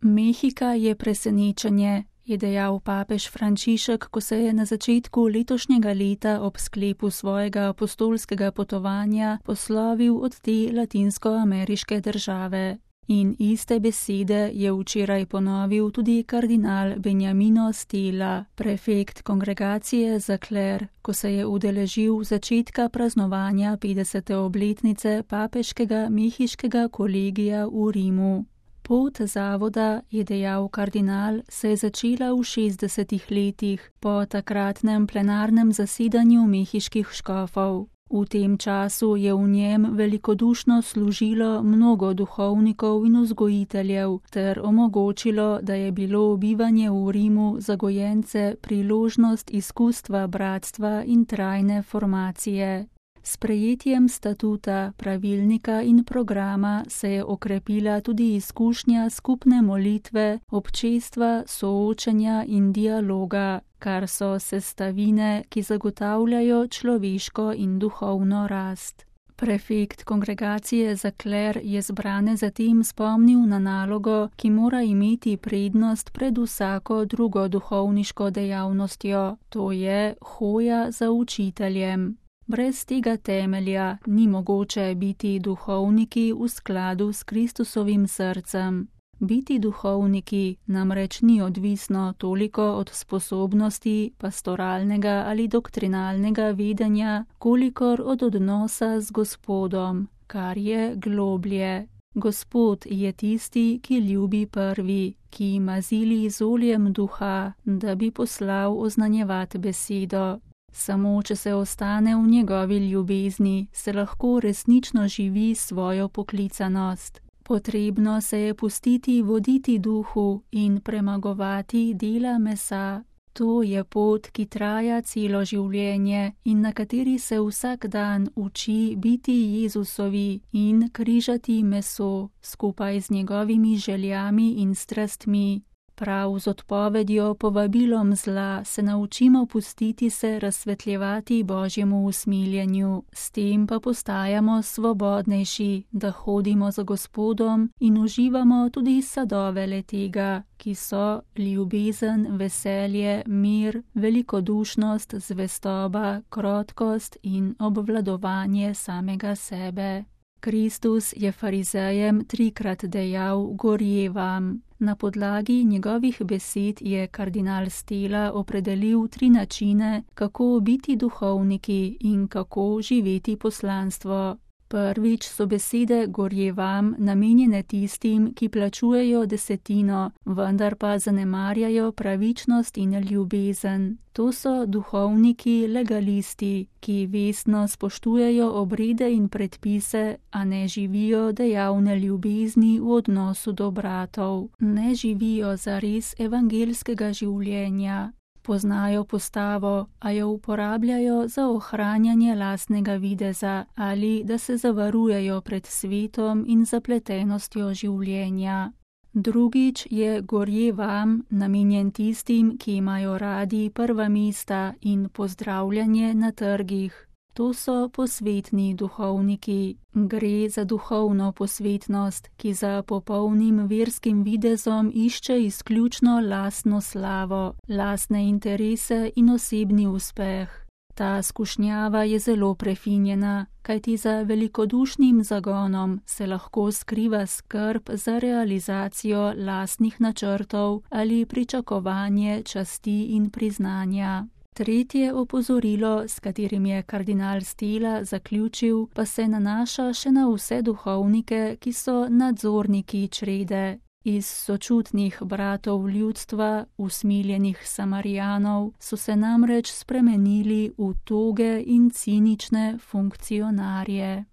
Mehika je presenečenje, je dejal papež Frančišek, ko se je na začetku letošnjega leta ob sklepu svojega apostolskega potovanja poslovil od te latinskoameriške države. In iste besede je včeraj ponovil tudi kardinal Benjamino Stella, prefekt kongregacije za kler, ko se je udeležil začetka praznovanja 50. obletnice papeškega mehiškega kolegija v Rimu. Pot zavoda, je dejal kardinal, se je začela v 60. letih po takratnem plenarnem zasedanju mehiških škofov. V tem času je v njem velikodušno služilo mnogo duhovnikov in vzgojiteljev ter omogočilo, da je bilo bivanje v Rimu za gojence priložnost izkustva bratstva in trajne formacije. S prejetjem statuta, pravilnika in programa se je okrepila tudi izkušnja skupne molitve, občestva, soočenja in dialoga, kar so sestavine, ki zagotavljajo človeško in duhovno rast. Prefekt kongregacije za kler je zbrane zatem spomnil na nalogo, ki mora imeti prednost pred vsako drugo duhovniško dejavnostjo, to je hoja za učiteljem. Brez tega temelja ni mogoče biti duhovniki v skladu s Kristusovim srcem. Biti duhovniki namreč ni odvisno toliko od sposobnosti pastoralnega ali doktrinalnega vedenja, kolikor od odnosa z Gospodom, kar je globlje. Gospod je tisti, ki ljubi prvi, ki mazili z oljem duha, da bi poslal oznanjevati besedo. Samo če se ostane v njegovi ljubezni, se lahko resnično živi svojo poklicanost. Potrebno se je pustiti voditi duhu in premagovati dela mesa. To je pot, ki traja celo življenje in na kateri se vsak dan uči biti Jezusovi in križati meso skupaj z njegovimi željami in strastmi. Prav z odpovedjo povabilom zla se naučimo pustiti se razsvetljevati Božjemu usmiljenju, s tem pa postajamo svobodnejši, da hodimo za Gospodom in uživamo tudi sadove le-tega, ki so ljubezen, veselje, mir, velikodušnost, zvestoba, krotkost in obvladovanje samega sebe. Kristus je farizejem 3-krat dejal: gorje vam. Na podlagi njegovih besed je kardinal Stella opredelil 3 načine, kako biti duhovniki in kako živeti poslanstvo. Prvič so besede gorje vam namenjene tistim, ki plačujejo desetino, vendar pa zanemarjajo pravičnost in ljubezen. To so duhovniki legalisti, ki vestno spoštujejo obrede in predpise, a ne živijo dejavne ljubezni v odnosu do bratov. Ne živijo zares evangelskega življenja. Poznajo postavo, a jo uporabljajo za ohranjanje lastnega videza ali da se zavarujejo pred svetom in zapletenostjo življenja. Drugič je gorje vam namenjen tistim, ki imajo radi prva mesta in pozdravljanje na trgih. To so posvetni duhovniki. Gre za duhovno posvetnost, ki za popolnim verskim videzom išče izključno lastno slavo, lastne interese in osebni uspeh. Ta skušnjava je zelo prefinjena, kajti za velikodušnim zagonom se lahko skriva skrb za realizacijo lastnih načrtov ali pričakovanje časti in priznanja. Tretje opozorilo, s katerim je kardinal Stella zaključil, pa se nanaša še na vse duhovnike, ki so nadzorniki črede. Iz sočutnih bratov ljudstva, usmiljenih Samarijanov, so se namreč spremenili v toge in cinične funkcionarje.